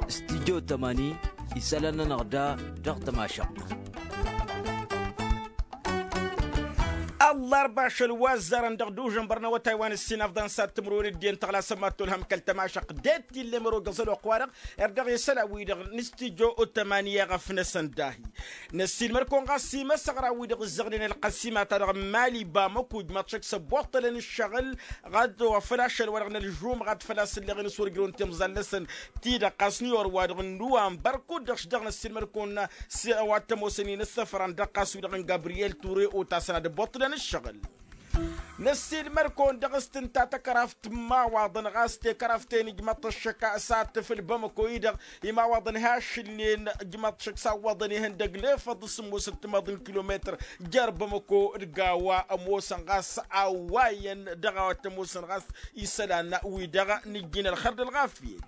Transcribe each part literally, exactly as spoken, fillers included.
Studyo tămani isălan-nănăɣ da dăɣ-tămašăɣt. Ăllarba ašăl wa ăzzarăn dăɣ-dužănbăr n-awătay wa n-ǝssin afḍăn s-ad-tǝmrǝwen dd-iyyăn tăɣlasăn ma t-olhăm kăl-tămašăɣt d-e-t tillem ărogăẓ ălwăqq-wa-dăɣ. Erdăɣ isălan-wi-dăɣ n-studyo tămani i-ăɣăfnăsăn dahi năssiilmăd-kăwăn ɣas imăsăɣran-wi-dăɣ ǝzzăɣnen ălqăsima-ta-dăɣ n-mali bamăku ǝjmaḍ šăkk s-ăbbuṭṭălăn ǝššăɣǝl ɣad wa făl ašăl-wa-dăɣ n-ălžumɣat făl-a-s ǝlleɣen s-wăr ǝjrăwăn timẓal-năsăn ti-dăɣ ɣas n-iyor-wa-dăɣ n-nuwanbăr kud-dăɣ š-dăɣ năssiilmăd-kăwăn s-a-wa t-ămoosăn-in ǝssăfărăn dăɣ-ɣas-wi-dăɣ n-gabriyel ture otasăn ad-ăbbuṭṭǝlăn ǝššăɣǝl. Năssiilmăd-kăwăn dăɣ-s tǝnta tăkraft n-imawaḍăn ɣas tekăraft-en ǝjmăḍ-t ăššăk s-ad-tǝfǝl bamăko-i-dăɣ imawaḍăn hašǝlnen ǝjmăḍ-t šăkk s-awwăḍăn ihăndăg lefăḍ s-ămoosăn timaḍ n-kilometăr jer-bamăko dăɣ-a-wa ămoosăn ɣas a-wa iyyăn dăɣ-a-wa t-ămoosăn ɣas isălan-wi-dăɣ nǝjjin ălxer d-ălɣafyăt.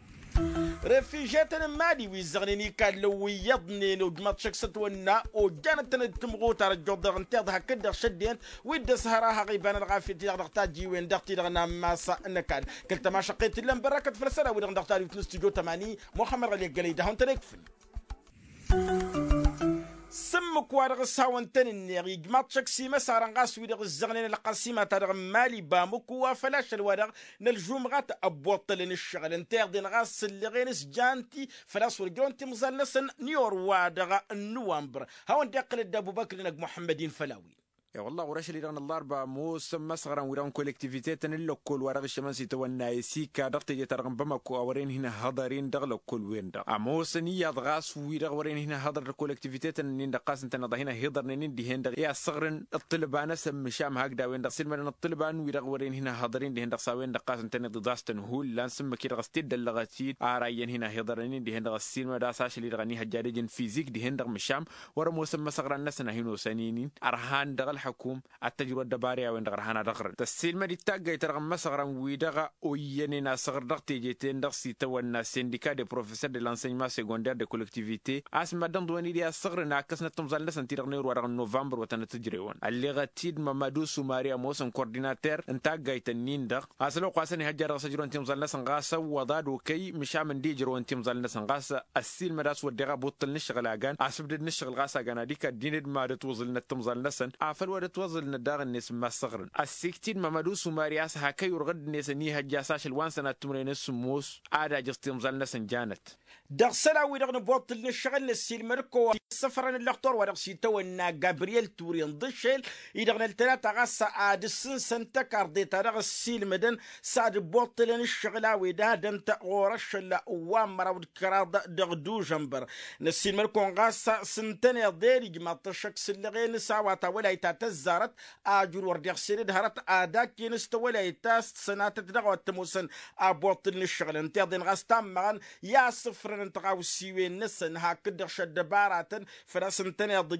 Refižetăn n-mali wi ǝzzăɣnen ikallăn wi iyyăḍnen ojmaḍ šăkk s-ătwănna ojjanăt-tăn d-timɣutar ăjjuḍ-dăɣ ǝnta iḍa hakd-dăɣ šăddinăt wi dd-ăshăr a haɣ iba n-ălɣafyăt-i-dăɣ dăɣ-tajjiwen dăɣ-ti-dăɣ n-ammas n-ăkall kăl-tămašăqqet tǝllăn bărrăkăt făll-sălan-wi-dăɣ dăɣ-tadwit n-studyo tămani muxămmăd ɣăli ăggălăy d-ad-hawăn-tăn-ikfǝl. S-ǝmmǝk-wa-dăɣ s-hawăn-tăn-ǝnneɣ ijmaḍ šăkk s-imăsarăn ɣas wi-dăɣ ǝzzăɣnen ălqăsima-ta-dăɣ n-mali bamǝku wa făl ašăl-wa-dăɣ n-ălžumɣat ăbbuṭṭălăn ǝššăɣǝl ǝnta iḍen ɣas ǝllăɣen s-janti făl-a-s wăr ǝjrăwăn timẓal-năsăn n-iyor-wa-dăɣ n-nuwanbăr. Hawăn-dd-iqqǝl dd-ăbubăkr-inăg muḥămmăd-in făll-a-wen. E-wălla ɣur-ašăl-i-dăɣ n-ăllarba ămoosăn imăsăɣran-wi-dăɣ n-kolektivitetăn n-lăkkol wa dăɣ-iššămăn s-itawănna esika dăɣ-teje-ta-dăɣ n-bamăko a wăren hin-ǝhhăḍăr-in dăɣ-lăkkol-wen-dăɣ ămoosăn iyyăḍ ɣas wi-dăɣ wăren hin-ǝhhăḍăr d-kolektivitetăn-nin-dăɣ ɣas ǝntăneḍ a hin-ăhhiḍărnen-in dihen-dăɣ i-ad-săɣrǝn ǝṭṭǝlba-năsăn măšan hakd a-wen-dăɣ s-ilmădăn ǝṭṭǝlba n-wi-dăɣ wăren hin-ăhhăḍăr-in dihen-dăɣ s-a-wen-dăɣ ɣas ǝntăneḍ iḍas-tăn hullan s-ǝmmǝk-i-dăɣ s-t-dd-ăllăɣăt-dd ara iyyăn hin-ăhhiḍărnen-in dihen-dăɣ ăssiilmăd a-s ašăl-i-dăɣ ănihăjja d-ejăn fizik dihen-dăɣ măšan wăr-ămoosăn imăsăɣran-năsăn a hin-osăn-in-in ărhan dăɣ-ălxăkum ad-t-ăjrăw ăddăbara i-a-wen-dăɣ ărhan ad-ăɣrǝn tăssiilmăd-dd taggayt-ta-dăɣ n-imăsăɣran-wi-dăɣ oyyănen asăɣr dăɣ-teje-ten-dăɣ s-itawănna sindika de professeurs de l-enseignement secondaire de collectivité a-s maddǝnḍǝwăn-dd i-ad-săɣrǝn a ǝkkăsnăt timẓal-năsăn ti-dăɣ n-ewăr-wa-dăɣ n-novămbăr wa tănăt-ǝjrewăn ălleɣăt-dd mămădu sumari ămoosăn coordinater n-taggayt-ǝnnin-dăɣ a-s ălwăqq wa s-ănihăjja dăɣ-s ăjrăwăn timẓal-năsăn ɣas ăwwăḍ ad-okăy măšan mǝndi ǝjrăwăn timẓal-năsăn ɣas ăssiilmăd a-s wădden abuṭṭǝl n-ǝššăɣǝl a gan asǝbdăd n-ǝššăɣǝl ɣas a gan ad-ikad-din d-mad-ătwăẓǝlnăt timẓal-năsăn afăl wăr-ătwăẓǝlnăt daɣ-net s-imma ăssăɣrǝn ăssiiktid mămădu sumari a-s hak ăyurɣ dd-net ănihăjja a-s ašăl wa n-sănat timren s-sǝmmos ad-ajǝẓ timẓal-năsăn janăt. Dăɣ-isălan-wi-dăɣ n-ibuṭṭǝl n-ǝššăɣǝl năssiilmăd-kăwăn issăfrăn ǝllăxtor wa dăɣ-s itawănna gabriyel ture n-iḍǝššel-i-dăɣ n-ăltălata ɣas ad-ǝssǝnsăn tăkarḍe-ta-dăɣ ăssiilmădăn s-ad-ǝbbuṭṭǝlăn ǝššăɣǝl a-wen d-ad-ănt ɣur-ašăl wa n-măraw d-kăraḍ dăɣ-dužănbăr. Năssiilmăd-kăwăn ɣas s-ǝntăneḍ i-ad-ijmaḍ-t ăššăk s-ǝllăɣen s-a-wa tawălayt ta tăzzarăt ajul wăr dd-iɣsed d-hărăt ad-akken s-tawălayt ta s-tăsănatăt dăɣ-a-wa t-ămoosăn abuṭṭǝl n-ǝššăɣǝl ǝnta iḍen ɣas tammăɣăn i-asǝfrăn n-tiɣawsiwen-năsăn hakd-dăɣ šăddăbaratăn făl-a-s ǝntăneḍ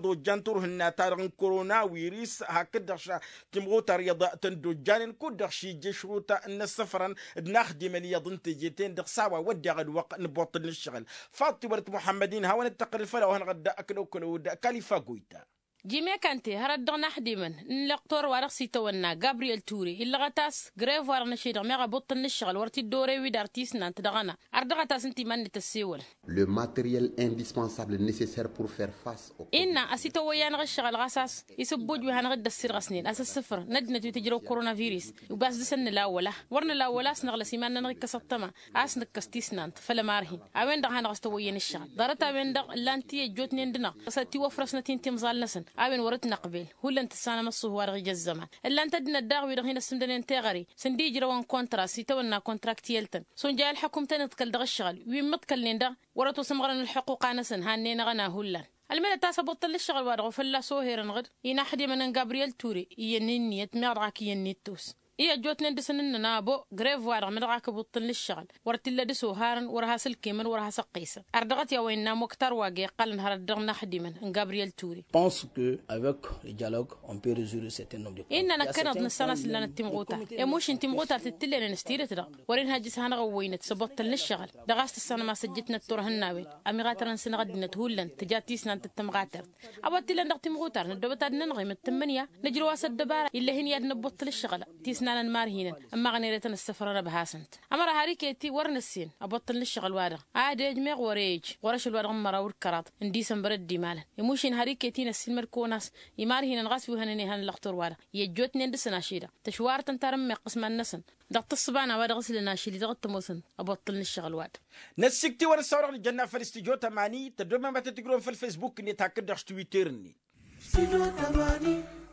ojjan turhǝnna-ta-dăɣ n-koronawiris hakd-dăɣ ša timɣutar iyyăḍ tăn-dd-ojjanen kud-dăɣ šijjăšrut n-inǝssăfrăn d-inaxdimăn iyyăḍ n-teje-ten-dăɣ s-a-wa wădden ălwăqq n-ibuṭṭǝl n-ǝššăɣǝl. Faḍt-iwăr-t muḥămmăd-in hawăn-dd-tăqqǝlăl făll-a-wa hanăɣ-dd-ăknăw kălăwăd kalifa goyta. Jime kante hărăt dăɣ-inaxdimăn n-lăqtor wa dăɣ-s-itawănna gabriyel ture illăɣăt a-s grev wa dăɣ-năšedăɣ meɣ abuṭṭǝl n-ǝššăɣǝl wăr t-dd-orew-dd ar tisnant dăɣ-ăna. Ărdăɣăt a-s ǝnta iman-net ăssewălăn. Le materiel indispensable necessaire pour faire face au innă a-s ităwăyy-anăɣ ǝššăɣǝl ɣas a-s isǝbbuj wi hanăɣ-dd-ăssirɣăsnen a-s ǝssǝfăr n-ăddinăt wi tǝjrăw koronavirus. Ugas dăr-săn nǝla wăla wăr nǝla wăla a-s năɣlăs iman-nănăɣ ikkăs ăṭṭăma a-s nǝkkăs tisnant făll-ămarhin. A-wen-dăɣ hanăɣ-s tăwăyyăn ǝššăɣǝl ḍarăt a-wen-dăɣ ǝllan-t i-ăjjootnen dăɣ-năɣ s-tiwăfrăsnăt-in timẓal-năsăn. A-wen wăr-dd-năqbel hullan tǝssanăm ăṣṣuhu wa dăɣ-ija ăzzăman. Ǝllan-t ăddinăt daɣ-wi-dăɣ hin-ăssǝmdănen teɣăre sǝndi ijrăwăn kontra s-itawănna kontraktiyăl-tăn s-unjay ălḥăkum tăn-iḍkăl dăɣ-ǝššăɣǝl wi ǝmmǝḍkălnen daɣ wăr-ătosămɣărăn ălḥuqquq-anăsăn hannenăɣ-ăna hullan. Ălmădăt a-s abuṭṭăl n-ǝššăɣǝl-wa-dăɣ ofălla s-oherăn ɣǝd inaxdimăn n-gabriyel ture iyyăn inniyăt meɣ dăɣ-ak iyyăn n-ittus. I-ăjjootnen dăr-săn ǝnnăn abo grev-wa-dăɣ mădăɣ-ak abuṭṭăl n-ǝššăɣǝl wăr t-illa dăr-s oharăn wăr has-ǝlkemăn wăr has-ăqqesăn. Ărdăɣăt i-a-wa innă muktar wa găy iqqălăn hărăt dăɣ-inaxdimăn n-gabriyel ture. Pense que avec le dialogue on peut rezoudre certains nombres de problèmes. Innă năkkăneḍ nǝssan a-s ǝllanăt timɣutar i-mušin timɣutar tǝttǝllenăn s-tidǝt-dăɣ wăr-inhăjj s-hanăɣ-ăwwăynăt s-abuṭṭăl n-ǝššăɣǝl. Dăɣ-a-s tǝssanăm a-s ăjjǝtnăt turhǝnna a-wen ămiɣatărăn-săn ăddinăt hullan tǝja tisnant d-tămɣatert. A-wa t-illăn dăɣ-timɣutar năddoobăt ad-nănɣimăt tǝmmǝnǝya nǝjrăw-as ăddăbara ill'-e hin-i ad-năbbuṭṭǝl ǝššăɣǝl. Tisnant Ănmărhinăn ămmaɣăn ere tăn-ăssăfrăn ăbhasăn-t ămăra har iket-i wăr năssin ăboṭṭăl n-ǝššăɣǝl-wa-dăɣ ad-ejmeɣ wăr-e ej ɣur-ašăl-wa-dăɣ n-măraw d-kăraḍ n-disămbăr ăddimalăn. Imušin har iket-i n-ăssiilmăd-kăwăn a-s imărhinăn ɣas wi hănen ihăn ǝllăɣtur-wa-dăɣ i-ăjjootnen dăɣ-săn ašăl-i-dăɣ tăšwarătăn tarǝmmeɣt ɣas mad-năsăn dăɣ-tǝssǝba n-a-wa dăɣ-s lăn ašăl-i-dăɣ t-ămoosăn ăboṭṭăl n-ǝššăɣǝl-wa-dăɣ. Năssikt'-i-wăn ǝssa-wa-dăɣ nǝjănna făll-studyo tămani tăddomem ad-tăt-tǝjrǝwăm făll-fesbuk-net hakd-dăɣ s-twitter-net.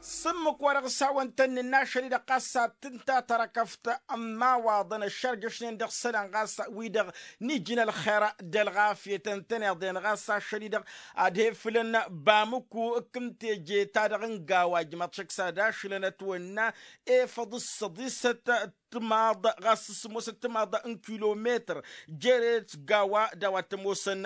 S-ǝmmǝk wa dăɣ-s hawăn-tăn-nǝnna ašăl-i-dăɣ ɣas ad-tǝnta tărkăft n-imawaḍăn ăššărjăšnen dăɣ-isălan ɣas wi-dăɣ n-ijǝn ălxer d-ălɣafyăt ǝntăneḍ-en ɣas ašăl-i-dăɣ ad-he-fǝlăn bamǝku. Ǝkkǝm teje-ta-dăɣ n-gawa ǝjmaḍ šăkk s-ad-ašǝlăn ătwănna efăḍ s-săḍisăt timaḍ ɣas s-sǝmmosăt timaḍ n-kilometăr jere-t gawa d-a-wa t-ămoosăn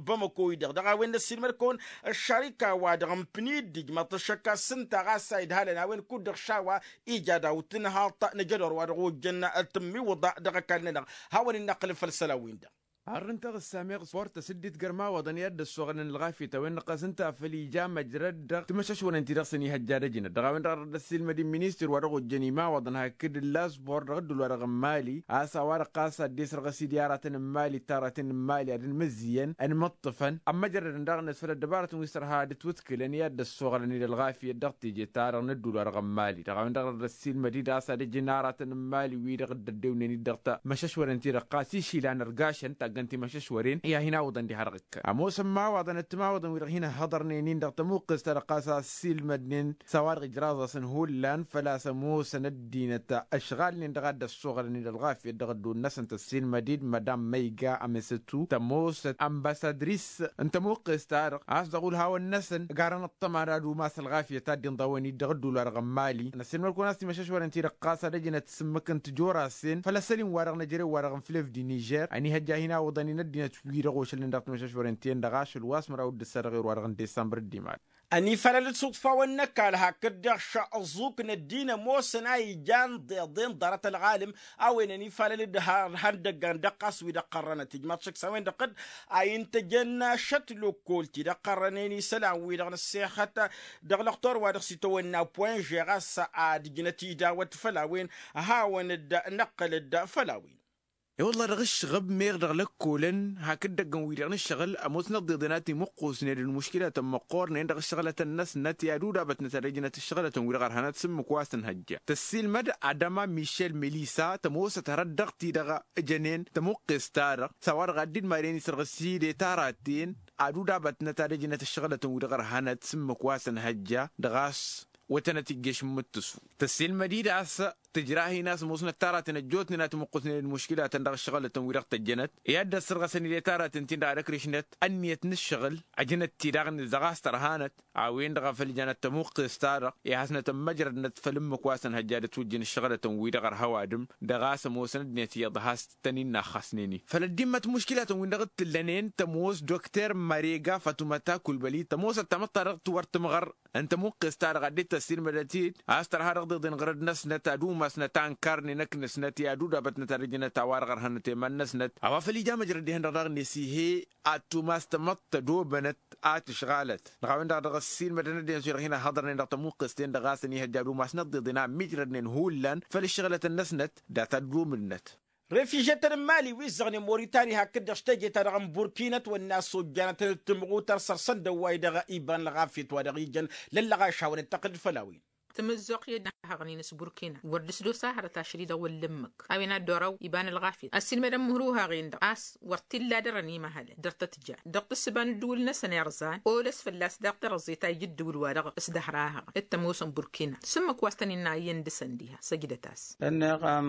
bamăko-i-dăɣ dăɣ-a-wen n-ăssiilmăd-kăwăn ăššarika-wa-dăɣ n-pniddi ǝjmaḍ-t ăššăk a-s ǝnta ɣas a idhalăn a-wen kud-dăɣ šawa ija daw-tǝnhaḍt n-ajădor wa dăɣ-ojjăn tǝmmiwǝḍa dăɣ-ăkall-nănăɣ. Hawăn-in-năqqǝlǝl făll-isălan-win-dăɣ. Arr ǝnta ɣǝssameɣ sport tăsǝddit gărmawăḍăn i-ad-dd-ăssoɣălăn ălɣafyăt a-wen-dăɣ ɣas ǝnta a făl ija măjrăd dăɣ-timăšăšwălăn-ti-dăɣ s-ănihăjja d-ăjnăt dăɣ-a-wen-dăɣ arrăd ăssiilmăd-in ministăr wa dăɣ-ojjăn imawăḍăn hakd ǝlla sport dăɣ-ădduul-wa-dăɣ n-mali a-s a-wa-dăɣ ɣas ad-dd-esrăɣ ăsidǝy aratăn n-mali d-taraten n-mali ad-ănmǝzzǝyăn ănmǝṭṭǝfăn ămmăjrădăn daɣ-net făll-ăddăbarătăn wi s-tărha ad-ǝtwǝtkǝlăn i-ad-dd-ăssoɣălăn-dd ălɣafyăt dăɣ-teje-ta-dăɣ n-ădduul-wa-dăɣ n-mali dăɣ-a-wen-dăɣ arrăd ăssiilmăd-dd a-s ad-ăjǝn aratăn n-mali wi-dăɣ dd-ăddewnen-dd dăɣ-ta măšăšwăren-ti-dăɣ ɣas išila n-ărgašăn taggăn timăšăšwăren i-ad-hin-awǝḍăn diha-dăɣ ǝkkăn ămoosăn imawaḍăn d-timawaḍăn wi-dăɣ hin-ăhhăḍărnen-in dăɣ-tămuqqǝst-ta-dăɣ ɣas a ăssiilmădnen s-a-wa-dăɣ ǝjraẓ-asăn hullan făl-a-s ămoosăn ăddinăt ăšɣalnen dăɣ-a dd-ăssoɣălăn-dd ălɣafyăt dăɣ-ădduul-năsăn tăssiilmăd-dd madam măyga amăsătu tămoosăt ănbăsadris n-tămuqqǝst-ta-dăɣ a-s dăɣ-ulhawăn-năsăn ăgarăn ăṭṭăma n-ad-umas ălɣafyăt ad-dd-inḍăwăn-dd dăɣ-ădduul-wa-dăɣ n-mali. Năssiilmăd-kăwăn a-s timăšăšwăren-ti-dăɣ ɣas ad-ăjnăt s-ǝmmǝk n-tijorrasen făll-asăl-in-wa-dăɣ n-ejărew-wa-dăɣ n-flevd i-nižer ănihăjja hin-awǝḍăn-in ăddinăt wi-dăɣ ošălnen dăɣ-timăšăšwăren-ti-en-dăɣ ašăl wa s-măraw d-ǝssa dăɣ-erwa-dăɣ n-disămbăr d-imal. Ănifalăl-dd s-uḍfawăn n-ăkall hakd-dăɣ šăẓẓuk n-ăddin ămoosăn a ijan ḍeḍen ḍarăt ălɣalǝm a-wen ănifalăl-dd har ihăndăggan dăɣ-ɣas wi-dăɣ qărrănăt ijmaḍ šăkk s-a-wen-dăɣ dd-a intăjăn šăt lăkkol-ti-dăɣ qărrănen isălan-wi-dăɣ n-ăssexăt dăɣ-lăxtor wa dăɣ-s itawănna poinže ɣas ad-ǝjnăt idawăt făll-a-wen. Hawăn-dd-năqqǝl-dd făll-a-wen. I-wălla dăɣ-ǝššăɣăb meɣ dăɣ-lăkkolăn hakd-dăggăn-wi-dăɣ n-ǝššăɣǝl ămoosnăt d-iḍen a timǝqqusnen d-muškilatăn măqqoornen dăɣ-ǝššăɣǝlătăn-năsnăt i-ad-udabătnăt ad-ăjnăt ǝššăɣǝlătăn-wi-dăɣ ărhănăt s-ǝmmǝk wa s-tǝnhăjja tăssiilmăd adăma mišel melisa tămoosăt hărăt dăɣ-ti-dăɣ ǝjănen tămuqqes-ta-dăɣ s-a-wa-dăɣ ad-dd-maren isărɣǝs hide taraten ad-udabătnăt ad-ăjnăt ǝššăɣǝlătăn-wi-dăɣ ărhănăt s-ǝmmǝk wa s-ǝnhăjja dăɣ-a-s wătănăt iggeš n-imǝttǝsu. Tăssiilmăd-dd a-s tǝjrahin a-s ămoosnăt taraten ăjjootnen a timǝqqusnen d-muškilatăn dăɣ-ǝššăɣǝlătăn-wi-dăɣ tăjjănăt i-ad-dd-ăssărɣăsăn ide taraten-tin-dăɣ ad-ăkrǝšnăt ǝnniyăt n-ǝššăɣǝl ăjnăt-ti daɣ-net dăɣ-a-s tărhanăt a-wen-dăɣ a făl ǝjanăt tămuqqes-ta-dăɣ i-ad-hasnăt ămmăjrădnăt făll-ǝmmǝk wa s-ănhăjja d-ătwǝjjǝn ǝššăɣǝlătăn-wi-dăɣ ărhăw adǝm dăɣ-a-s ămoosăn ăddinăt iyyăḍ has-tăn-in-naxxasnen-in făll-ăddimmăt muškilatăn-win-dăɣ t-tǝllănen tămoos dokter mărega fătumăta kulbăli tămoosăt tamăḍt-ta-dăɣ t-wăr tǝmɣăr ǝnta muqqes-ta-dăɣ ad-dd-tăssiilmădăt-dd a-s tărha dăɣ-tiḍen ɣărăd-năsnăt ad-umasnăt a ǝnkarnen ăknăsnăt i-ad-udabătnăt ad-ăjnăt a-wa-dăɣ ărhănăt i-iman-năsnăt a-wa făl ija măjrăd ihăn-dăɣ daɣ-net ih'-e ad-tumas tamăḍt tădobănăt a tǝšɣalăt dăɣ-a-wen-dăɣ dăɣ-ăssiilmădăn ăddinăt wi-dăɣ hin-ăhhăḍărnen dăɣ-tamǝqqes-ten-dăɣ a-s ănihăjja ad-umasnăt tiḍen a ǝmmijrădnen hullan făll-ǝššăɣǝlătăn-năsnăt dat-ad-dd-umǝlnăt. Refizhetăn n-mali wi ǝzzăɣnen moritani hakd-dăɣ s-teje-ta-dăɣ n-burkina ătwănna a-s ojjanătăn d-timɣutăr săr-săn d-ăwway-dăɣ iba n-ălɣafyăt wa dăɣ-ijăn lăllăɣaš hawăn-dd-tăqqǝl făll-a-wen. Tǝmǝzzuɣt i-dd-hăɣnen s-burkina wăr dd-ǝsdos a hărăt ašăl-i-dăɣ wăr lǝmmǝk a-wen a dd-oraw iba n-ălɣafyăt ăssiilmădăn mǝhruhaɣ-en-dăɣ a-s wăr t-illa dăr-ănimăhălăn dăr-tăt-jan dăɣ-tǝssǝba n-ǝddǝwǝl-năsăn irzan oles fălla-s daɣ tărăẓe ta ija ǝddǝwǝl-wa-dăɣ s-dăhr-ahăɣăn d-tămoosăn burkina s-ǝmmǝk wa s-tăn-innă iyyăn dăɣ-săn diha săjdăt-as. Ǝnneɣ am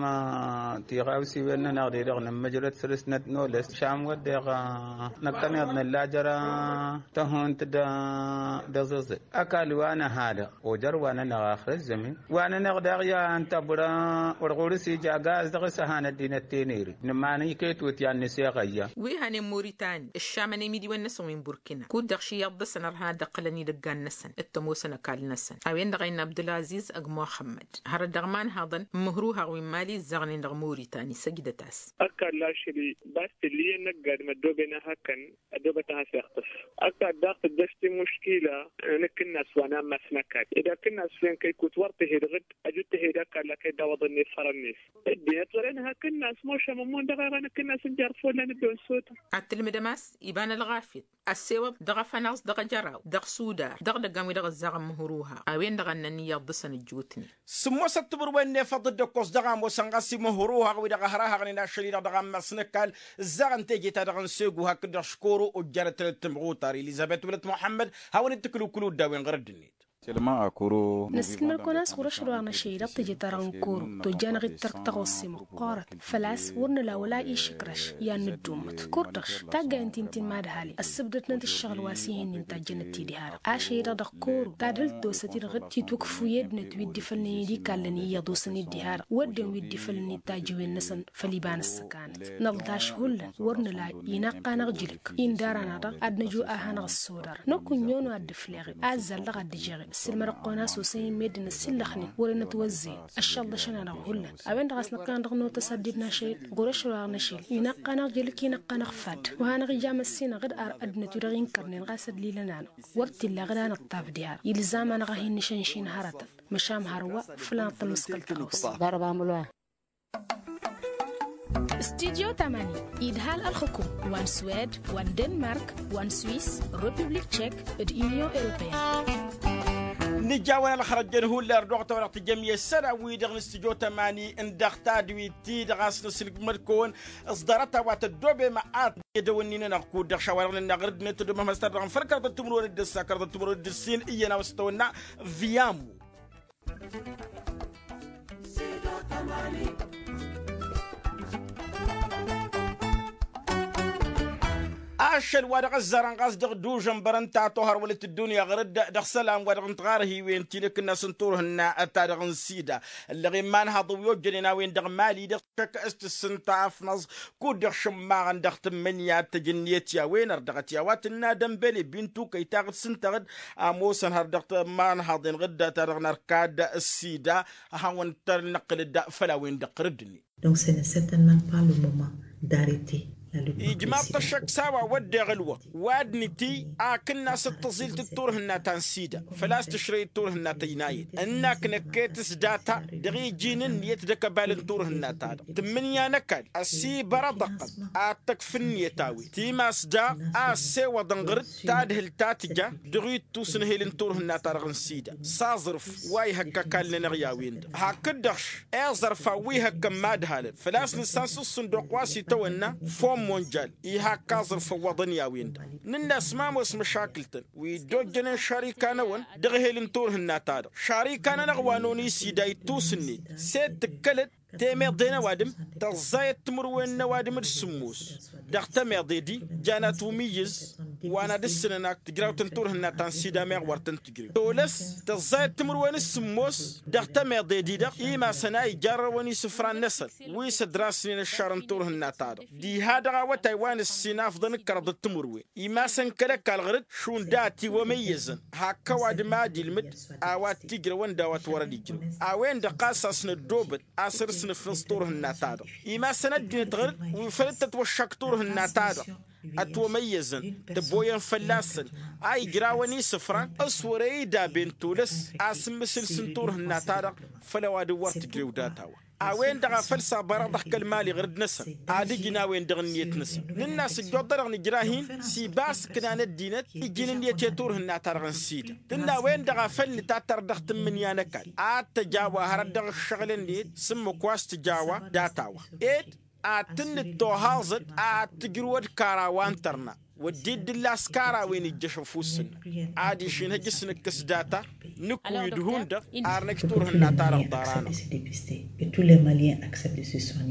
tiɣawsiwen-nănăɣ-de-dăɣ nǝmmǝjrăd săr-s năt-noles šam wădden năkkăneḍ nǝlla jer-tăhunt d-aẓǝẓǝl ăkall wa năha-dăɣ ojăr wa-nănăɣ axǝr ăzzămin wa-nănăɣ daɣ i-ad-tăbra wăr ɣur-s ija gaz dăɣ-s ăhan ăddinăt teneri nǝman iket wǝtyan n-aseɣăyya. Wi hănen moritani ǝššamăn imidiwen-năsăn wi n-burkina kud-dăɣ ši iyyăḍ dăɣ-săn ărha ad-dd-ǝqqǝlăn idăggan-năsăn d-tămoosăn ăkall-năsăn a-wen-dăɣ a innă abdălaziz ăgg muxămmăd hărăt dăɣ-iman haḍăn n-imǝhruhaɣ wi n-mali ǝzzaɣnen dăɣ-moritani săjdăt-as. Ăkall ašăl-i bas tǝllǝyăn năgg ad-măddoben a hăkkăn ăddobăt a has-iɣtǝs ăkall daɣ tǝddăs timǝškila. Nǝkkǝnnas wa n-ammas n-ăkall ed akǝnnas wen. Ikut wăr tǝhed ɣǝd ăjut tǝhed ăkall aked d-awăḍăn n-efărăn-net. Ăddinăt wăren hakd n-asmošăm ămmun dăɣ-eɣăn hakd n-asǝnjar follan dd-onsotăm. Ad-tǝlmǝdăm a-s iba n-ălɣafyăt ăssewăḍ dăɣ-afănaẓ dăɣ-ajăraw dăɣ-sudar dăɣ-idăgg a-wi-dăɣ ǝzzaɣăn mǝhruha a-wen-dăɣ a ǝnnăn iyyăḍ dăɣ-săn ǝjjootnen. Sǝmmosăt timǝrwen n-efăḍ dd-ăkkoẓ dăɣ-ămoosăn ɣas i-mǝhruha wi-dăɣ ăhrahăɣnen ašăl-i-dăɣ dăɣ-ammas n-ăkall ǝzzaɣăn teje-ta-dăɣ n-segu hakd-dăɣ škoro ojjanăt-tăn d-timɣutar ilizabet wălăt muḥămmăd. Hawăn-dd-tǝkǝlǝwkǝlu dd-a-wen ɣur-ăddinăt. Năssilmăd-kăwăn a-s ɣur-ašăl wa n-ašăl-i-dăɣ teje-ta-dăɣ n-koro tojjanăɣ-dd tărk taɣossi măqqoorăt. Făl-a-s wăr nǝla wăla išǝkrăš i-ad-nǝddummǝt kurdăš. Taggayen ti n-tinmadhalin ăssǝbdătnăt ǝššăɣǝl wa s-ih'-in-in tajjănăt-t-dd iha-dăɣ ašăl-i-dăɣ dăɣ-koro tadhǝlt tosăt-i-dăɣ dd-titwǝkf wi ăddinăt wi dd-ifălnen i-dd-ikallăn iyyăḍ osăn-dd iha-dăɣ wădden wi dd-ifălnen tajjăwen-năsăn. Făll-iba n-ǝssăkanăt nălḍaš hullan wăr nǝla inaqqan aɣjǝlǝk. Indar-anăɣ-dăɣ ad-năju a hanăɣ-ăssodărăn năkk unyon wa dd-ǝfleɣ-dd azzal-dăɣ a dd-ǝjeɣ-dd ǝssǝlmădăɣ-kăwăn a-s osăn-in meddǝn ăsillăxnen wăren ătwăzzăyăn ăššălḍăšăn-anăɣ hullan. A-wen-dăɣ a-s năkk a hanăɣ-dăɣ notăs ad-dd-našăyăt ɣur-ašăl wa ɣur-năšel inaqqan aɣjǝlǝk inaqqan aɣfad wa hanăɣ-ija măssinăɣ-dd ar ăddinăt wi-dăɣ inkărnen ɣas ăllilăn-anăɣ wăr t-illa ɣǝd a nǝṭṭaf diha-dăɣ ilzam-anăɣ a hin-nǝšănšin hărătăn. Măšan hărwa făl ad-năṭṭăl mǝskăl tăɣawsa. Studyo tamani idhal ălxukum wa n-swed wa n-denmark wa n-swis, republik tšek d-union europeyăn. Nǝjawăn ălxărăjjăn hullan ărdăɣ-tăn wa dăɣ-tǝjjăm i-ăssălan-wi-dăɣ n-studyo tamani n-dăɣ tadwit-ti-dăɣ a-s nǝslǝkmăd-kăwăn s-ḍarăt-a-wa tăddoobem ad-t-dd-ăwǝnninăn ăɣkud dăɣ-šawa-dăɣ nǝnna ɣur-ăddinăt tăddoobem ăhmăs-ta-dăɣ n-făl kăraḍăt timǝrwen d-ǝssa kăraḍăt timǝrwen d-ǝssin iyyăn a-wa s-tăwănna. Viyamu. Ašăl wa dăɣ-ăzzarăn ɣas dăɣ-dužăn bărăn ta tohăr wălăt ăddunya ɣur-dd dăɣ-isălan wa dăɣ-nǝtɣarhiwen ti n-akǝnnas n-turhǝnna ta dăɣ-n sida. Ǝllăɣen imanhaḍăn wi ojjănen a-wen dăɣ-mali dăɣ-tǝššăk s-tǝssǝnta afnăẓ kud-dăɣ šǝmmaɣăn dăɣ-tǝmmǝnǝya d-tejǝnniyăt i-a-wen ărdăɣăt i-a-wa tǝnna dămbele bintu kăy-taɣ d-sǝntăɣ-dd. Ămoosăn har dăɣ-tămmanhaḍen ɣǝdda ta dăɣ-nărkad s-sida. Ad-hawăn-tăn-năqqǝlăd făll-a-wen-dăɣ ɣur-dd-net. Donc ce n'est certainement pas le moment d'arrêter la lutte contre le sida. Ijmaḍ-t ăššăk s-a-wa wădden ălwăqq wa d-nǝtiy akǝnnas d-tăẓilt d-turhǝnna ta n-sida făl-a-s tǝšrăy d-turhǝnna ta ăynayăt ǝnnak năkket s-data dăɣ-iji n-ǝnniyăt d-akăbal n-turhǝnna-ta-dăɣ tǝmmǝnǝya n-ăkall ăsibărăḍăɣ-tăn ad-tăkf ǝnniyăt a-wen timas daɣ a ăssewăḍăn ɣur-dd tadhǝlt ta tǝja dăɣ-ittus n-ehel n-turhǝnna-ta-dăɣ n-sida s-aẓrǝf wa ihăkk ăkall-nănăɣ i-a-wen-dăɣ hakd-dăɣ-š iẓărfan wi hăkkăn imadhalăn făl-a-s nǝssan s-ǝṣṣǝnduq wa s-itawănna fond monjal ihakk aẓrǝf ăwwăḍăn i-a-wen-dăɣ. Nǝnn'-as ma ămoos măšakǝl-tăn wi dd-ojjănen šarikanăwăn dăɣ-ehel n-turhǝnna-ta-dăɣ šarikanănăɣ wa n-oni sida ittus-net s-e-d tǝkkălăd temeḍe n-ăwadǝm tăẓẓayăt timǝrwen n-ăwadǝm d-sǝmmos dăɣ-temeḍe-di jan atwǝmǝyyǝz wa n-ad-ǝssǝnăn ak tǝjrawt n-turhǝnna ta n-sida meɣ wăr tăn-tǝjrew tolăs tăẓẓayăt timǝrwen s-sǝmmos dăɣ-temeḍe-di-dăɣ imasăn a ijarrăwăn isǝfran-năsăn wi s-ădrasnen ăššar n-turhǝnna-ta-dăɣ diha-dăɣ awătay wa n-ǝssin afḍăn d-kăraḍăt timǝrwen imasăn kăl-ăkall ɣur-dd šund a ătiwămăyyăzăn hakk ăwadǝm ad-ilmǝd a-wa t-ijrăwăn d-a-wa t-wărăn ijrăw a-wen-dăɣ ɣas a-s năddoobăt a-s ărsnǝfnǝẓ turhǝnna-ta-dăɣ imasăn ăddinăt ɣur-dd wi făl dd-tătwăššak turhǝnna-ta-dăɣ ătwămăyyăzăn tăboyăn fălla-săn a ijrawăn isǝfran s-wăr-e-idaben tolăs a-s n-imǝsǝls n-turhǝnna-ta-dăɣ făll-ăwadǝm wăr tǝjrew data-wa. A-wen-dăɣ a făl s-abărăḍăɣ kăl-mali ɣur-dd-năsăn ad-ǝjǝn a-wen-dăɣ ǝnniyăt-năsăn nǝnn'-as ǝjjuḍ-dăɣ nǝjrah-in s-iba a-s ǝknan ăddinăt ǝjǝn ǝnniyăt i-turhǝnna-ta-dăɣ n-sida tǝnna a-wen-dăɣ a făl nǝtattăr dăɣ-tǝmmǝnǝya n-ăkall ad-tăj a-wa hărăt dăɣ-ǝššăɣǝl-net s-ǝmmǝk wa s-tǝj a-wa data-wa ed ad-tǝnnǝttohaẓăd ad-tǝjrǝwăd kara wa n-tărna wădden d-ǝllas kara a-wen ijjăš ăfuss-năk adiš inhǝj s-nǝkkǝs data nǝkkuy d-hundăɣ ar năj turhǝnna-ta-dăɣ ḍarănăɣ. Et tous les maliens acceptent de se soigner.